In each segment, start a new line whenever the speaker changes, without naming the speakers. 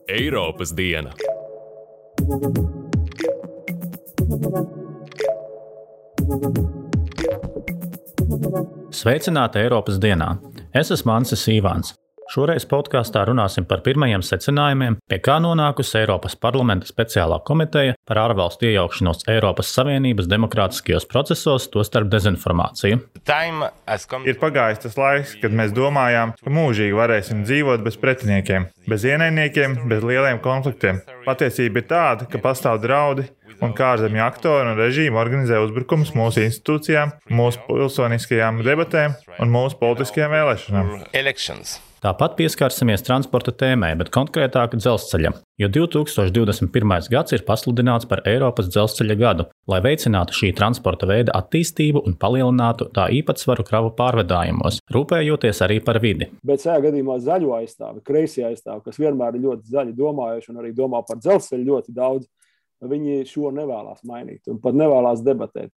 Eiropas diena.
Sveicināti Eiropas dienā! Es esmu Ansis Ivāns. Šoreiz podkāstā runāsim par pirmajiem secinājumiem, pie kā nonākusi Eiropas parlamenta speciālā komiteja par ārvalstu iejaukšanos Eiropas Savienības demokrātiskajos procesos, tostarp dezinformāciju.
Ir pagājis tas laiks, kad mēs domājām, ka mūžīgi varēsim dzīvot bez pretiniekiem, bez ienaidniekiem, bez lieliem konfliktiem. Patiesība ir tāda, ka pastāv draudi un kā ārzemju aktori un režīmi organizē uzbrukumus mūsu institūcijām, mūsu pilsoniskajām debatēm un mūsu politiskajām vēlēšanām.
Tāpat pieskarsimies transporta tēmai, bet konkrētāk dzelzceļam, jo 2021. gads ir pasludināts par Eiropas dzelzceļa gadu, lai veicinātu šī transporta veida attīstību un palielinātu tā īpatsvaru kravu pārvadājumos, rūpējoties arī par vidi.
Bet šajā gadījumā zaļo aizstāvi, kreisie aizstāvi, kas vienmēr ir ļoti zaļi domājuši un arī domā par dzelzceļu ļoti daudz, viņi šo nevēlās mainīt un pat nevēlās debatēt.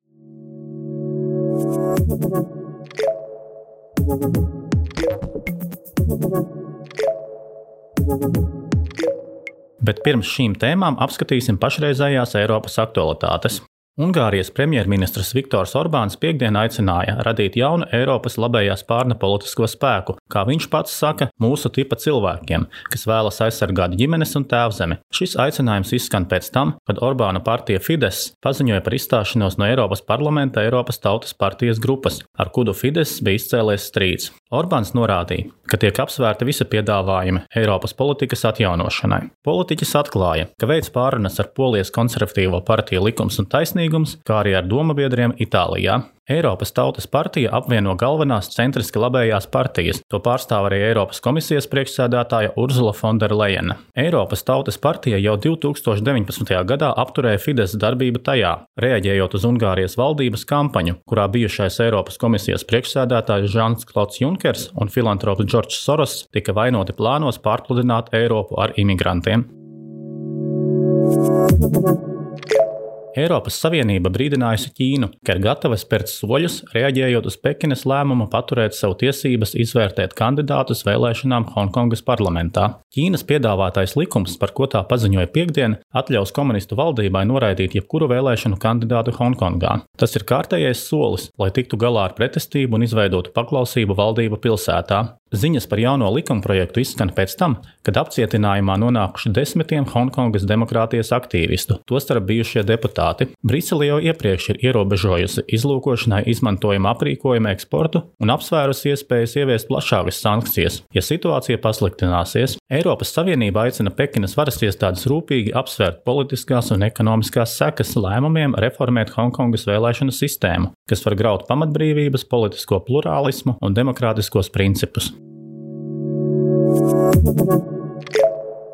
Bet pirms šīm tēmām apskatīsim pašreizējās Eiropas aktualitātes. Ungārijas premjerministrs Viktors Orbāns piektdien aicināja radīt jaunu Eiropas labējā spārna politisko spēku, kā viņš pats saka, mūsu tipa cilvēkiem, kas vēlas aizsargāt ģimenes un tēvzemi. Šis aicinājums izskan pēc tam, kad Orbāna partija Fidesz paziņoja par izstāšanos no Eiropas parlamenta Eiropas Tautas partijas grupas, ar kuru Fidesz bija izcēlies strīds. Orbāns norādīja, ka tiek apsvērti visi piedāvājumi Eiropas politikas atjaunošanai. Politiķis atklāja, ka veids pārunas ar Polijas konservatīvo partiju Likums un taisnīgums, kā arī ar domabiedriem Itālijā. Eiropas Tautas partija apvieno galvenās centriski labējās partijas, to pārstāv arī Eiropas komisijas priekšsēdētāja Ursula von der Leyena. Eiropas Tautas partija jau 2019. gadā apturēja Fidesz darbību tajā, reaģējot uz Ungārijas valdības kampaņu, kurā bijušais Eiropas komisijas priekšsēdētājs Žans-Klods Junkers un filantrops Džordžs Soros tika vainoti plānos pārpludināt Eiropu ar imigrantiem. Eiropas Savienība brīdinājusi Ķīnu, ka ir gatava spērt soļus, reaģējot uz Pekinas lēmumu paturēt savu tiesības izvērtēt kandidātus vēlēšanām Honkongas parlamentā. Ķīnas piedāvātais likums, par ko tā paziņoja piektdien, atļaus komunistu valdībai noraidīt jebkuru vēlēšanu kandidātu Honkongā. Tas ir kārtējais solis, lai tiktu galā ar pretestību un izveidotu paklausību valdību pilsētā. Ziņas par jauno likumprojektu izskan pēc tam, kad apcietinājumā nonākuši 10 Honkongas demokrātijas aktīvistu, tostarp bijušie deputāti. Brisele jau iepriekš ir ierobežojusi izlūkošanai izmantojuma aprīkojuma eksportu un apsvērusi iespējas ieviest plašākas sankcijas. Ja situācija pasliktināsies, Eiropas Savienība aicina Pekinas varas iestādes rūpīgi apsvērt politiskās un ekonomiskās sekas lēmumiem reformēt Honkongas vēlēšanu sistēmu, kas var graut pamatbrīvības, politisko plurālismu un demokrātiskos principus.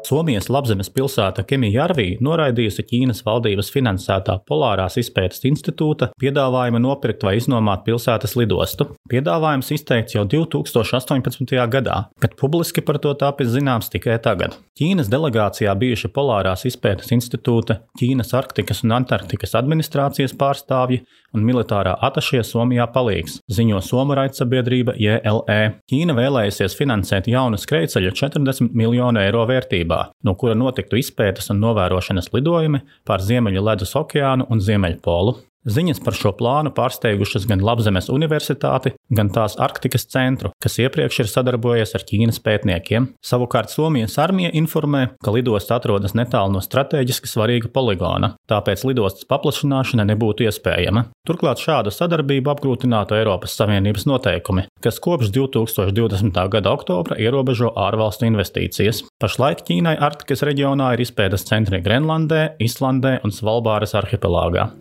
Somijas Labzemes pilsēta Kemijärvi noraidījusi Ķīnas valdības finansētā Polārās izpētes institūta piedāvājumu nopirkt vai iznomāt pilsētas lidostu. Piedāvājums izteikts jau 2018. gadā, kad publiski par to tapis zināms tikai tagad. Ķīnas delegācijā bijuši Polārās izpētes institūta, Ķīnas Arktikas un Antarktikas administrācijas pārstāvji un militārā atašie Somijā palīgs, ziņo somu raidsabiedrība JLE. Ķīna vēlējusies finansēt jaunu skrejceļu 40 miljonu eiro vērtībā, no kura notiktu izpētes un novērošanas lidojumi pār Ziemeļu ledus okeānu un Ziemeļpolu. Ziņas par šo plānu pārsteigušas gan Labzemes universitāti, gan tās Arktikas centru, kas iepriekš ir sadarbojies ar Ķīnas pētniekiem. Savukārt Somijas armija informē, ka lidosta atrodas netālu no strateģiski svarīga poligona, tāpēc lidostas paplašināšana nebūtu iespējama. Turklāt šādu sadarbību apgrūtinātu Eiropas Savienības noteikumi, kas kopš 2020. gada oktobra ierobežo ārvalstu investīcijas. Pašlaik Ķīnai Arktikas reģionā ir izpētes centri Grenlandē, Islandē un Svalbāras arhipelāgā.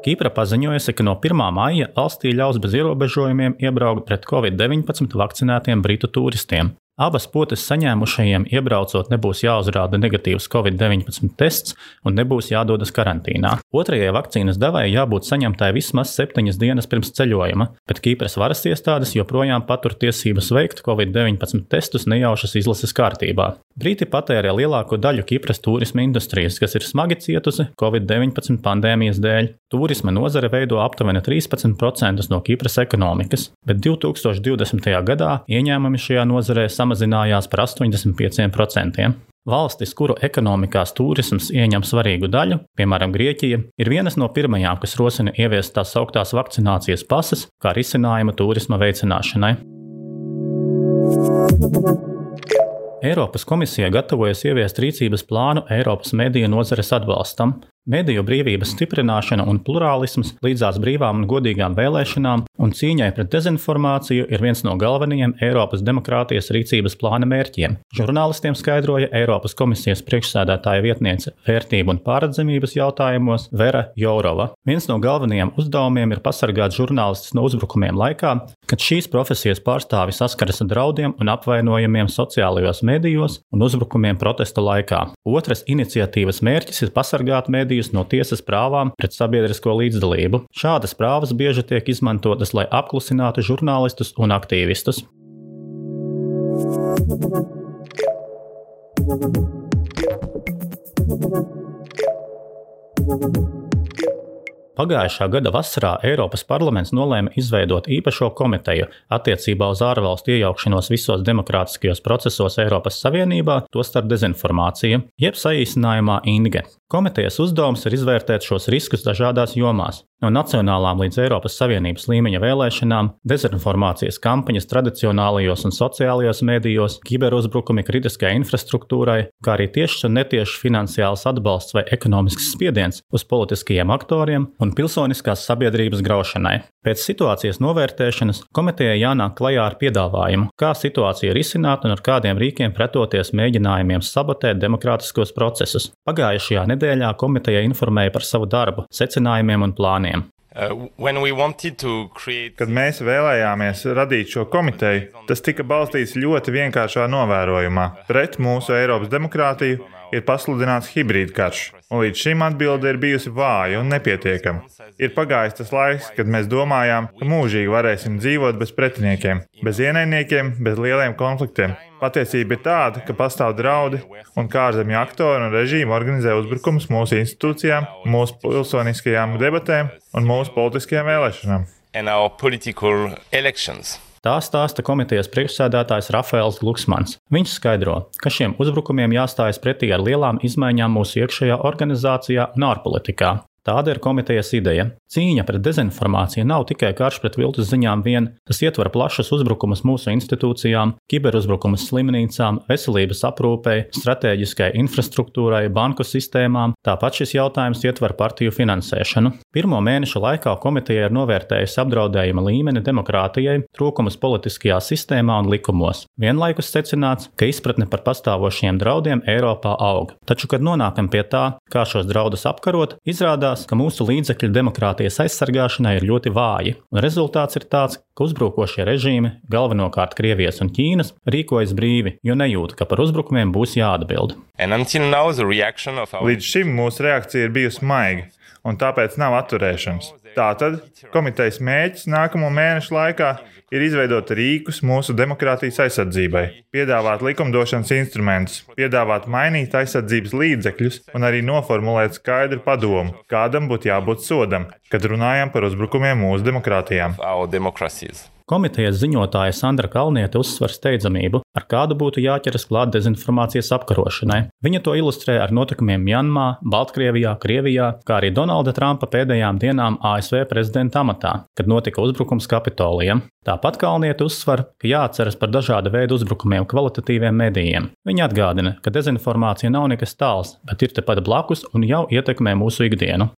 Kipra paziņojusi, ka no 1. maija valstī ļaus bez ierobežojumiem iebraukt pret Covid-19 vakcinētiem britu turistiem. Abas potes saņēmušajiem iebraucot nebūs jāuzrāda negatīvs COVID-19 tests un nebūs jādodas karantīnā. Otrajai vakcīnas devai jābūt saņemtai vismaz 7 dienas pirms ceļojuma, bet Kipras varas iestādes joprojām patur tiesības veikt COVID-19 testus nejaušas izlases kārtībā. Briti patērē lielāko daļu Kipras turisma industrijas, kas ir smagi cietusi COVID-19 pandēmijas dēļ. Turisma nozare veido aptuveni 13% no Kipras ekonomikas, bet 2020. gadā ieņēmumi šajā nozarē samazinājās par 85%. Valstis, kuru ekonomikās turisms ieņem svarīgu daļu, piemēram Grieķija, ir vienas no pirmajām, kas rosina ieviest tās sauktās vakcinācijas pases kā risinājumu turisma veicināšanai. Eiropas komisija gatavojas ieviest rīcības plānu Eiropas mediju nozares atbalstam. Mediju brīvības stiprināšana un plurālisms līdzās brīvām un godīgām vēlēšanām un cīņai pret dezinformāciju ir viens no galvenajiem Eiropas demokrātijas rīcības plāna mērķiem. Žurnālistiem skaidroja Eiropas komisijas priekšsēdētāja vietniece vērtību un pārredzamības jautājumos Vera Jourova. Viens no galvenajiem uzdevumiem ir pasargāt žurnālistus no uzbrukumiem laikā, kad šīs profesijas pārstāvi saskaras ar draudiem un apvainojumiem sociālajos medijos un uzbrukumiem protesta laikā. Otras iniciatīvas mērķis ir pasargāt mediju no tiesas prāvām pret sabiedrisko līdzdalību. Šādas prāvas bieži tiek izmantotas, lai apklusinātu žurnālistus un aktīvistus. Pagājušā gada vasarā Eiropas parlaments nolēma izveidot īpašo komiteju attiecībā uz ārvalstu iejaukšanos visos demokrātiskajos procesos Eiropas Savienībā, tostarp dezinformāciju, jeb saīsinājumā INGE. Komitejas uzdevums ir izvērtēt šos riskus dažādās jomās, no nacionālām līdz Eiropas Savienības līmeņa vēlēšanām, dezinformācijas kampaņas tradicionālajos un sociālajos medijos, kiberuzbrukumi kritiskai infrastruktūrai, kā arī tiešs un netiešs finansiāls atbalsts vai ekonomisks spiediens uz politiskajiem aktoriem un pilsoniskās sabiedrības graušanai. Pēc situācijas novērtēšanas komitejai jānāk klajā ar piedāvājumu, kā situāciju risināt un ar kādiem rīkiem pretoties mēģinājumiem sabotēt demokrātiskos procesus. Pagājušajā nedēļā komiteja informēja par savu darbu, secinājumiem un plāniem.
Kad mēs vēlējāmies radīt šo komiteju, tas tika balstīts ļoti vienkāršā novērojumā. Pret mūsu Eiropas demokrātiju ir pasludināts hibrīd karš, un līdz šim atbilde ir bijusi vāja un nepietiekama. Ir pagājis tas laiks, kad mēs domājām, ka mūžīgi varēsim dzīvot bez pretiniekiem, bez ienaidniekiem, bez lieliem konfliktiem. Patiesība ir tāda, ka pastāv draudi, un kā ārzemju aktori un režīmi organizē uzbrukumus mūsu institūcijām, mūsu pilsoniskajām debatēm un mūsu politiskajām vēlēšanām.
Tā stāsta komitejas priekšsēdētājs Rafaels Gluksmans. Viņš skaidro, ka šiem uzbrukumiem jāstājas pretī ar lielām izmaiņām mūsu iekšējā organizācijā un ārpolitikā. Tāda ir komitejas ideja. Cīņa pret dezinformāciju nav tikai karš pret viltus ziņām vien, tas ietver plašas uzbrukumus mūsu institūcijām, kiberuzbrukumus slimnīcām, veselības aprūpei, stratēģiskai infrastruktūrai, banku sistēmām. Tāpat šis jautājums ietver partiju finansēšanu. Pirmo mēnešu laikā komiteja ir novērtējusi apdraudējuma līmeni demokrātijai, trūkumus politiskajā sistēmā un likumos. Vienlaikus secināts, ka izpratne par pastāvošiem draudiem Eiropā aug. Taču, kad nonākam pie tā, kā šos draudus apkarot, izrādās, ka mūsu līdzekļi demokrātijas aizsargāšanai ir ļoti vāji, un rezultāts ir tāds, ka uzbrukošie režīmi, galvenokārt Krievijas un Ķīnas, rīkojas brīvi, jo nejūt, ka par uzbrukumiem būs jāatbild.
Līdz šim mūsu reakcija ir bijusi maiga, un tāpēc nav atturēšanas. Tātad komitejas mērķis nākamo mēnešu laikā ir izveidot rīkus mūsu demokrātijas aizsardzībai, piedāvāt likumdošanas instrumentus, piedāvāt mainīt aizsardzības līdzekļus un arī noformulēt skaidru padomu, kādam būtu jābūt sodam, kad runājam par uzbrukumiem mūsu demokrātijām.
Komitejas ziņotāja Sandra Kalniete uzsver steidzamību, ar kādu būtu jāķeras klāt dezinformācijas apkarošanai. Viņa to ilustrē ar notikumiem Mjanmā, Baltkrievijā, Krievijā, kā arī Donalda Trumpa pēdējām dienām ASV prezidenta amatā, kad notika uzbrukums Kapitolijam. Tāpat Kalniete uzsver, ka jāatceras par dažāda veida uzbrukumiem kvalitatīviem medijiem. Viņa atgādina, ka dezinformācija nav nekas tāls, bet ir tepat blakus un jau ietekmē mūsu ikdienu.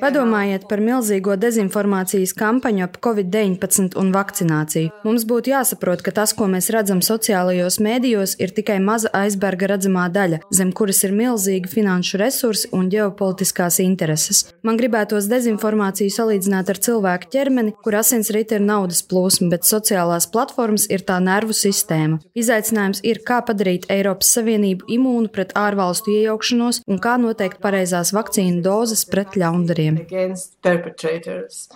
Padomājiet par milzīgo dezinformācijas kampaņu ap Covid-19 un vakcināciju. Mums būtu jāsaprot, ka tas, ko mēs redzam sociālajos mēdījos, ir tikai maza aizberga redzamā daļa, zem kuras ir milzīgi finanšu resursi un ģeopolitiskās intereses. Man gribētos dezinformāciju salīdzināt ar cilvēku ķermeni, kur asinsrite ir naudas plūsma, bet sociālās platformas ir tā nervu sistēma. Izaicinājums ir, kā padarīt Eiropas Savienību imūnu pret ārvalstu iejaukšanos un kā noteikt pareizās vakcīnu dozes pret ļaundariem.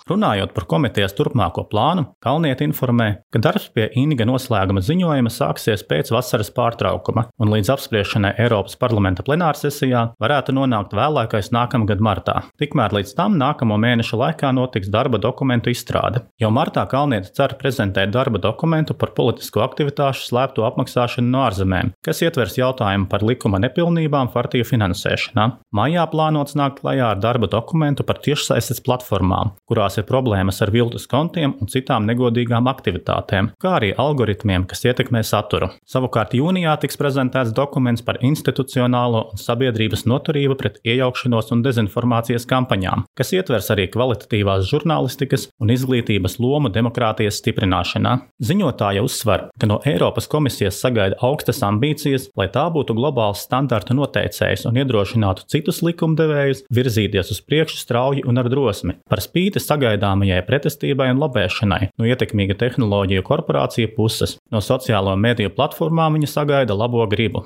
Runājot par komitejas turpmāko plānu, Kalniete informē, ka darbs pie Inga noslēguma ziņojuma sāksies pēc vasaras pārtraukuma un līdz apspriešanai Eiropas parlamenta plenārsesijā varētu nonākt vēlākais nākamgad martā. Tikmēr līdz tam nākamo mēnešu laikā notiks darba dokumentu izstrāde. Jau martā Kalniete cer prezentēt darba dokumentu par politisko aktivitāšu slēpto apmaksāšanu no ārzemēm, kas ietvers jautājumu par likuma nepilnībām partiju finansēšanā. Maijā plānots nākt klajā ar darba dokumentu par tiešsaistes platformām, kurās ir problēmas ar viltus kontiem un citām negodīgām aktivitātēm, kā arī algoritmiem, kas ietekmē saturu. Savukārt jūnijā tiks prezentēts dokuments par institucionālo un sabiedrības noturību pret iejaukšanos un dezinformācijas kampaņām, kas ietvers arī kvalitatīvās žurnālistikas un izglītības lomu demokrātijas stiprināšanā. Ziņotāja uzsver, ka no Eiropas komisijas sagaida augstas ambīcijas, lai tā būtu globāls standarta noteicējs un iedrošinātu citus likumdevējus virzīties uz priekšu strauji un ar drosmi, par spīti sagaidāmajai pretestībai un lobēšanai no ietekmīga tehnoloģiju korporāciju puses. No sociālo mediju platformām viņa sagaida labo gribu.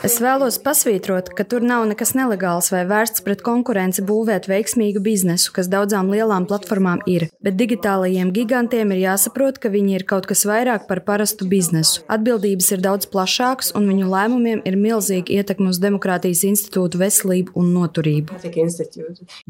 Es vēlos pasvītrot, ka tur nav nekas nelegāls vai vērsts pret konkurenci būvēt veiksmīgu biznesu, kas daudzām lielām platformām ir, bet digitālajiem gigantiem ir jāsaprot, ka viņi ir kaut kas vairāk par parastu biznesu. Atbildības ir daudz plašākas un viņu lēmumiem ir milzīga ietekme uz demokrātijas institūtu veselību un noturību.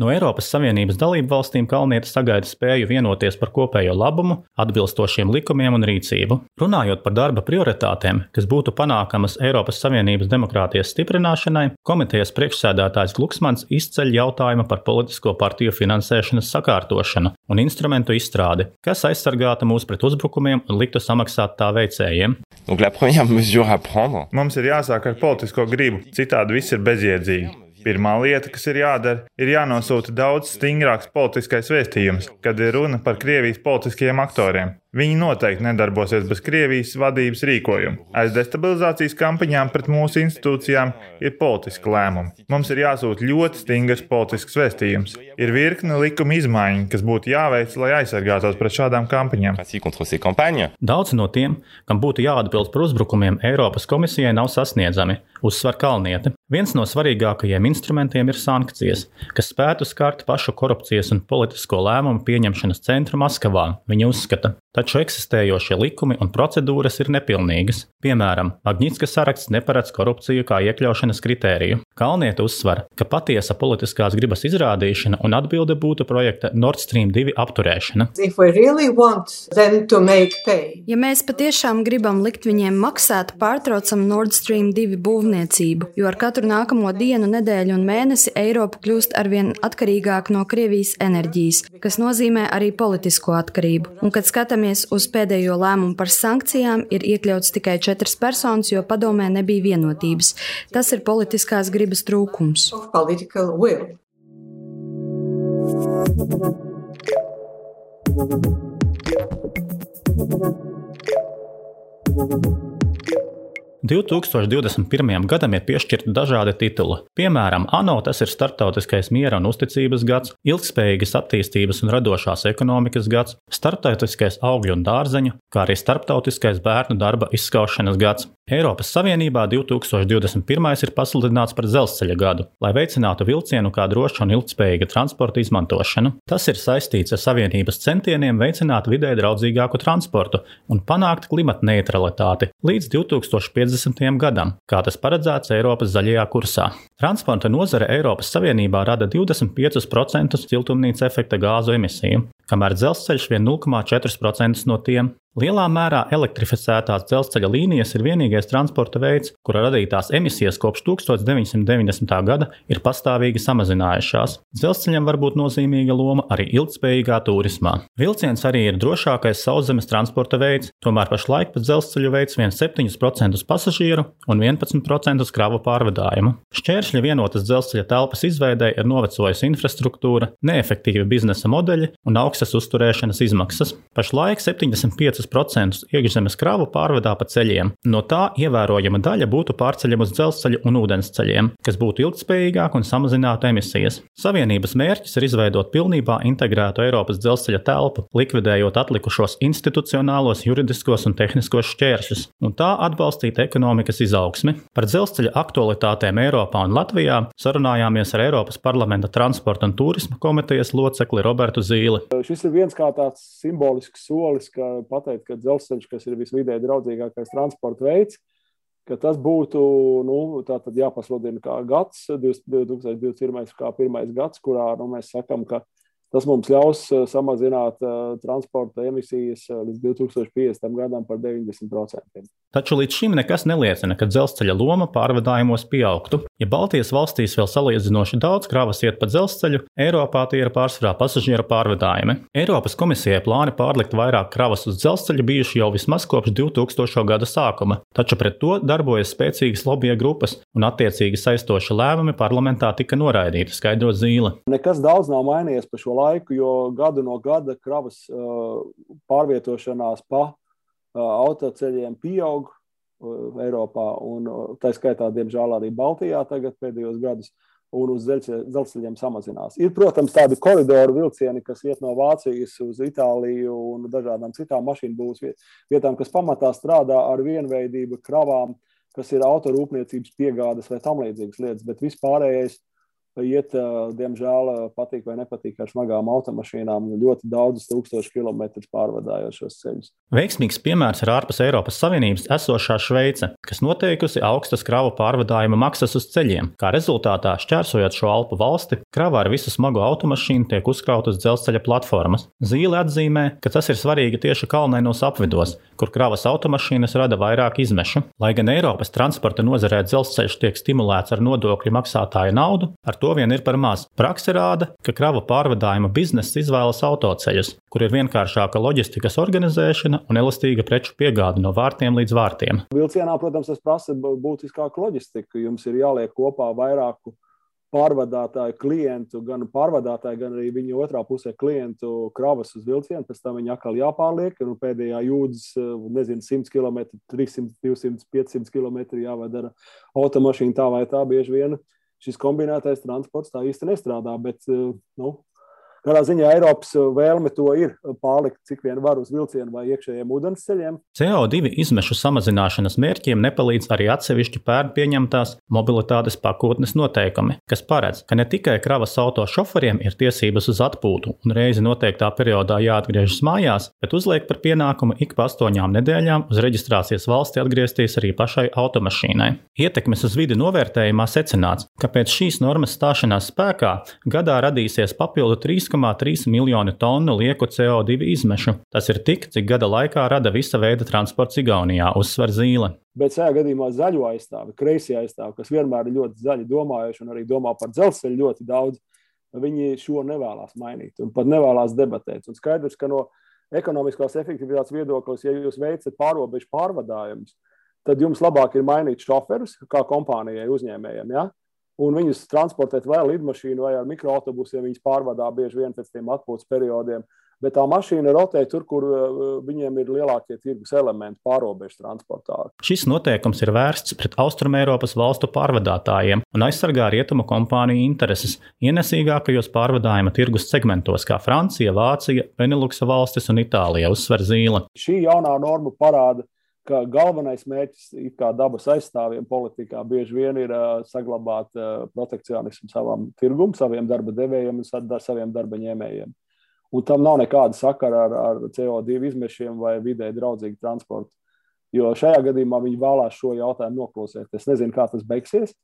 No Eiropas Savienības dalību valstīm Kalniete sagaida spēju vienoties par kopējo labumu, atbilstošiem likumiem un rīcību. Runājot par darba prioritātēm, kas būtu panākamas Eiropas Savienības demokrātijas stiprināšanai, komitejas priekšsēdētājs Gluksmans izceļ jautājumu par politisko partiju finansēšanas sakārtošanu un instrumentu izstrādi, kas aizsargātu mūs pret uzbrukumiem un liktu samaksāt tā veicējiem.
Mums ir jāsāk ar politisko gribu, citādi viss ir bezjēdzīgi. Pirmā lieta, kas ir jādara, ir jānosūta daudz stingrāks politiskais vēstījums, kad ir runa par Krievijas politiskajiem aktoriem. Viņi noteikti nedarbosies bez Krievijas vadības rīkojumu. Aiz destabilizācijas kampaņām pret mūsu institūcijām ir politiski lēmumi. Mums ir jāsūta ļoti stingrs politisks vēstījums. Ir virkne likuma izmaiņu, kas būtu jāveic, lai aizsargātos pret šādām kampaņām.
Daudz no tiem, kam būtu jāatbild par uzbrukumiem Eiropas komisijai, nav sasniedzami, uzsver Kalniete. Viens no svarīgākajiem instrumentiem ir sankcijas, kas spētu skart pašu korupcijas un politisko lēmumu pieņemšanas centru Maskavā, viņa uzskata. Taču eksistējošie likumi un procedūras ir nepilnīgas. Piemēram, Magnitska saraksts neparedz korupciju kā iekļaušanas kritēriju. Kalniete uzsver, ka patiesa politiskās gribas izrādīšana un atbilde būtu projekta Nord Stream 2 apturēšana.
Ja mēs patiešām gribam likt viņiem maksāt, pārtraucam Nord Stream 2 būvniecību, jo ar katru nākamo dienu, nedēļu un mēnesi Eiropa kļūst arvien atkarīgāk no Krievijas enerģijas, kas nozīmē arī politisko atkarību. Un, kad skatāmies uz pēdējo lēmumu par sankcijām, ir iekļauts tikai 4 personas, jo padomē nebija vienotības. Tas ir politiskās gribas trūkums.
– 2021. gadam ir piešķirti dažādi tituli. Piemēram, ANO tas ir Starptautiskais miera un uzticības gads, Ilgtspējīgas attīstības un radošās ekonomikas gads, Starptautiskais augļu un dārzeņu, kā arī Starptautiskais bērnu darba izskaušanas gads. Eiropas Savienībā 2021. ir pasludināts par dzelzceļa gadu, lai veicinātu vilcienu kā drošu un ilgtspējīgu transporta izmantošanu. Tas ir saistīts ar Savienības centieniem veicināt vidē draudzīgāku transportu un panākt klimata neutralitāti līdz 2050. gadam, kā tas paredzēts Eiropas zaļajā kursā. Transporta nozare Eiropas Savienībā rada 25% siltumnīca efekta gāzu emisiju, kamēr dzelzceļš vien 0,4% no tiem. Lielā mērā elektrificētās dzelzceļa līnijas ir vienīgais transporta veids, kura radītās emisijas kopš 1990. gada ir pastāvīgi samazinājušās. Dzelzceļam var būt nozīmīga loma arī ilgtspējīgā turismā. Vilciens arī ir drošākais sauszemes transporta veids, tomēr pašlaik pa dzelzceļu veids vien 7% pasažieru un 11% kravu pārvadājumu. Šķēršļi vienotas dzelzceļa telpas izveidē ir novecojusi infrastruktūra, neefektīvi biznesa modeļi un augstas uzturēšanas izmaksas. Pašlaik 75% iekšzemes kravu pārvadā pa ceļiem. No tā ievērojama daļa būtu pārceļama uz dzelzceļu un ūdensceļiem, kas būtu ilgtspējīgāk un samazinātu emisijas. Savienības mērķis ir izveidot pilnībā integrētu Eiropas dzelzceļa telpu, likvidējot atlikušos institucionālos, juridiskos un tehniskos šķēršļus, un tā atbalstīt ekonomikas izaugsmi. Par dzelzceļa aktualitātēm Eiropā un Latvijā sarunājāmies ar Eiropas parlamenta transporta un turisma komitejas locekli Robertu Zīli.
Šis ir viens kā tāds simbolisks solis, ka pateikt, ka dzelzceļš, kas ir visvidē draudzīgākais transporta veids, ka tas būtu, tātad jāpasludina kā gads, 2021. kā pirmais gads, kurā mēs sakam, ka tas mums ļaus samazināt transporta emisijas līdz 2050. gadam par 90%.
Taču līdz šim nekas neliecina, ka dzelzceļa loma pārvadājumos pieaugtu. Ja Baltijas valstīs vēl salīdzinoši daudz kravas iet pa dzelzceļu, Eiropā tie ir pārsvarā pasažieru pārvadājumi. Eiropas komisijai plāni pārlikt vairāk kravas uz dzelzceļu bijuši jau vismaz kopš 2000. gada sākuma, taču pret to darbojas spēcīgas lobija grupas un attiecīgi saistoši lēmumi parlamentā tika noraidīti, skaidro Zīle.
Nekas daudz nav mainījies pa šo laiku, jo gadu no gada kravas pārvietošanās pa autoceļiem pieaug Eiropā, un tā skaitā, diemžēl, arī Baltijā tagad pēdējos gadus, un uz dzelzceļiem samazinās. Ir, protams, tādi koridoru vilcieni, kas iet no Vācijas uz Itāliju un dažādām citām mašīnu būvs vietām, kas pamatā strādā ar vienveidību kravām, kas ir autorūpniecības piegādes vai tam līdzīgas lietas, bet vispārējais iet, diemžēl, patīk vai nepatīk ar smagām automašīnām, ļoti daudzus tūkstošu kilometrus pārvadājot šos ceļus.
Veiksmīgs piemērs ir ārpus Eiropas Savienības esošā Šveice, kas noteikusi augstas kravu pārvadājuma maksas uz ceļiem. Kā rezultātā, šķērsojot šo Alpu valsti, krava ar visu smago automašīnu tiek uzkrauta uz dzelzceļa platformas. Zīle atzīmē, ka tas ir svarīgi tieši kalnainos apvidos, kur kravas automašīnas rada vairāk izmešu. Lai gan Eiropas transporta nozarē dzelzceļš tiek stimulēts ar nodokļu maksātāju naudu, ar to vien ir par maz. Prakse rāda, ka kravu pārvadājuma bizness izvēlas autoceļus, kur ir vienkāršāka loģistikas organizēšana un elastīga preču piegāde no vārtiem līdz vārtiem.
Vilcienā, protams, tas prasa būtiskāku loģistiku. Jums ir jāliek kopā vairāku pārvadātāju klientu, gan pārvadātāju, gan arī viņa otrā pusē klientu kravas uz vilcienu, pēc tam viņi atkal jāpārliek, un pēdējā jūdzes, 100 km, 300, 200, 500 km jāved ar automašīnu tā vai tā bieži vien. Šis kombinētais transports tā īsti nestrādā, bet, kādā ziņā Eiropas vēlme to ir pārlikt, cik vien var uz vilcienu vai iekšējiem ūdensceļiem.
CO2 izmešu samazināšanas mērķiem nepalīdz arī atsevišķi pērn pieņemtās mobilitātes pakotnes noteikumi, kas paredz, ka ne tikai kravas auto šoferiem ir tiesības uz atpūtu un reizi noteiktā periodā jāatgriežas mājās, bet uzliek par pienākumu ik pa 8 nedēļām uz reģistrācijas valsti atgriezties arī pašai automašīnai. Ietekmes uz vidi novērtējumā secināts, ka pēc šīs normas stāšanās spēkā gadā radīsies papildu 3,3 miljoni tonu lieku CO2 izmešu. Tas ir tik, cik gada laikā rada visa veida transports Igaunijā, uzsver Zīle.
Bet šajā gadījumā zaļo aizstāvi, kreisie aizstāvi, kas vienmēr ir ļoti zaļi domājuši un arī domā par dzelzceļu ļoti daudz, viņi šo nevēlās mainīt un pat nevēlās debatēt. Un skaidrs, ka no ekonomiskās efektivitātes viedoklis, ja jūs veicat pārobežu pārvadājumus, tad jums labāk ir mainīt šoferus kā kompānijai uzņēmējiem, ja? Un viņus transportēt vai lidmašīnu vai ar mikroautobusiem, viņus pārvadā bieži vien pēc tiem atpūtas periodiem. Bet tā mašīna rotē tur, kur viņiem ir lielākie tirgus elementi pārobežu transportā.
Šis noteikums ir vērsts pret Austrumeiropas valstu pārvadātājiem un aizsargā rietumu kompāniju intereses ienesīgākajos pārvadājuma tirgus segmentos, kā Francija, Vācija, Beneluksa valstis un Itālija, uzsver Zīle.
Šī jaunā norma parāda, ka galvenais mērķis kā dabas aizstāvjiem politikā bieži vien ir saglabāt protekcionismu savam tirgum, saviem darba devējiem un saviem darba ņēmējiem. Un tam nav nekāda sakara ar CO2 izmešiem vai vidē draudzīgu transportu. Jo šajā gadījumā viņi vēlās šo jautājumu noklusēt. Es nezinu, kā tas beigsies,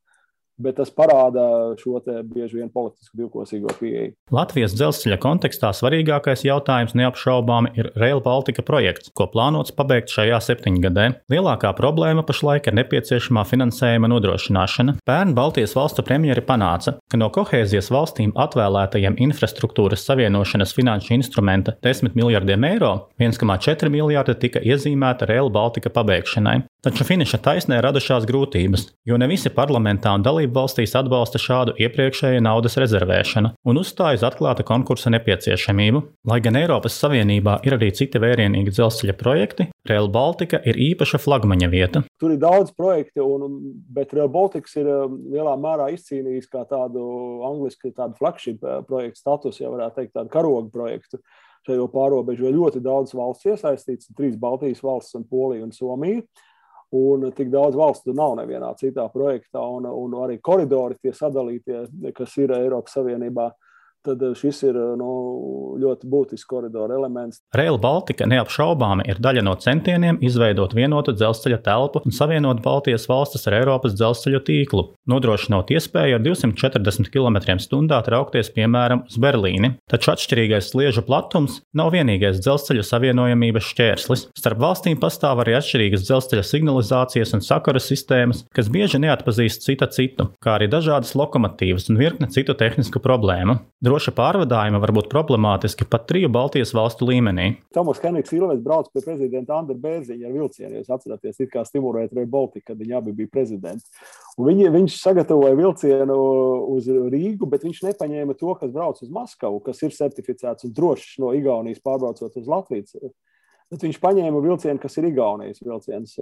bet tas parāda šo te bieži vien politisku divkosīgo pieeju.
Latvijas dzelzceļa kontekstā svarīgākais jautājums neapšaubāmi ir Rail Baltica projekts, ko plānots pabeigt šajā 7-gadē. Lielākā problēma pašlaik ir nepieciešamā finansējuma nodrošināšana. Pērn Baltijas valstu premjeri panāca, ka no kohēzijas valstīm atvēlētajiem infrastruktūras savienošanas finanšu instrumenta 10 miljardiem eiro 1,4 miljardi tika iezīmēta Rail Baltica pabeigšanai. Taču finiša taisnē radušās grūtības, jo ne visi parlamentā un dalību valstīs atbalsta šādu iepriekšēju naudas rezervēšanu un uzstāj uz atklāta konkursa nepieciešamību. Lai gan Eiropas Savienībā ir arī citi vērienīgi dzelzceļa projekti, Rail Baltica ir īpaša flagmaņa vieta.
Tur ir daudz projektu, bet Rail Baltica ir lielā mērā izcīnījis kā tādu angliski tādu flagship projektu status, ja varētu teikt tādu karogu projektu. Šajo pārobežu ļoti daudz valsts iesaistīts, 3 Baltijas valsts un Polija un Somija. Un tik daudz valstu nav nevienā citā projektā, un arī koridori tie sadalītie, kas ir Eiropas Savienībā, tad šis ir ļoti būtisks koridora elements.
Rail Baltica neapšaubāmi ir daļa no centieniem izveidot vienotu dzelzceļa telpu un savienot Baltijas valstis ar Eiropas dzelzceļu tīklu, nodrošinot iespēju ar 240 km/h traukties, piemēram, uz Berlīni. Taču atšķirīgais sliežu platums nav vienīgais dzelzceļu savienojamības šķērslis. Starp valstīm pastāv arī atšķirīgas dzelzceļa signalizācijas un sakaru sistēmas, kas bieži neatpazīst cita citu, kā arī dažādas lokomotīvas un virkne citu tehnisku problēmu. Droša pārvadājuma var būt problemātiski pat 3 Baltijas valstu līmenī.
Tomas Henriks Ilves brauc pie prezidenta Andra Bērziņa ar vilcienu, jūs atceraties, it kā stimulēt Rail Baltica, kad viņi abi bija prezidenti. Un viņš sagatavoja vilcienu uz Rīgu, bet viņš nepaņēma to, kas brauc uz Maskavu, kas ir certificēts un drošs no Igaunijas pārbraucot uz Latvijas. Bet viņš paņēma vilcienu, kas ir Igaunijas vilciens.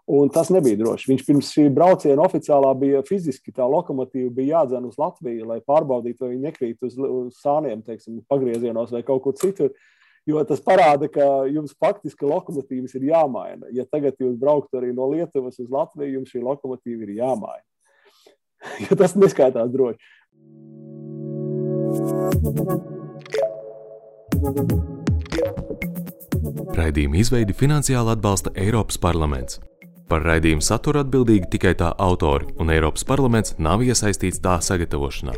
Un tas nebija droši. Viņš pirms šī brauciena oficiālā bija fiziski, tā lokomotīva bija jādzen uz Latviju, lai pārbaudītu, vai viņi nekrīt uz sāniem, teiksim, pagriezienos vai kaut kur citur. Jo tas parāda, ka jums faktiski lokomotīvas ir jāmaina. Ja tagad jūs brauktu arī no Lietuvas uz Latviju, jums šī lokomotīva ir jāmaina. Jo tas neskaitās droši.
Raidījuma izveidi finansiāli atbalsta Eiropas parlaments. Par raidījumu saturu atbildīgi tikai tā autori, un Eiropas parlaments nav iesaistīts tā sagatavošanā.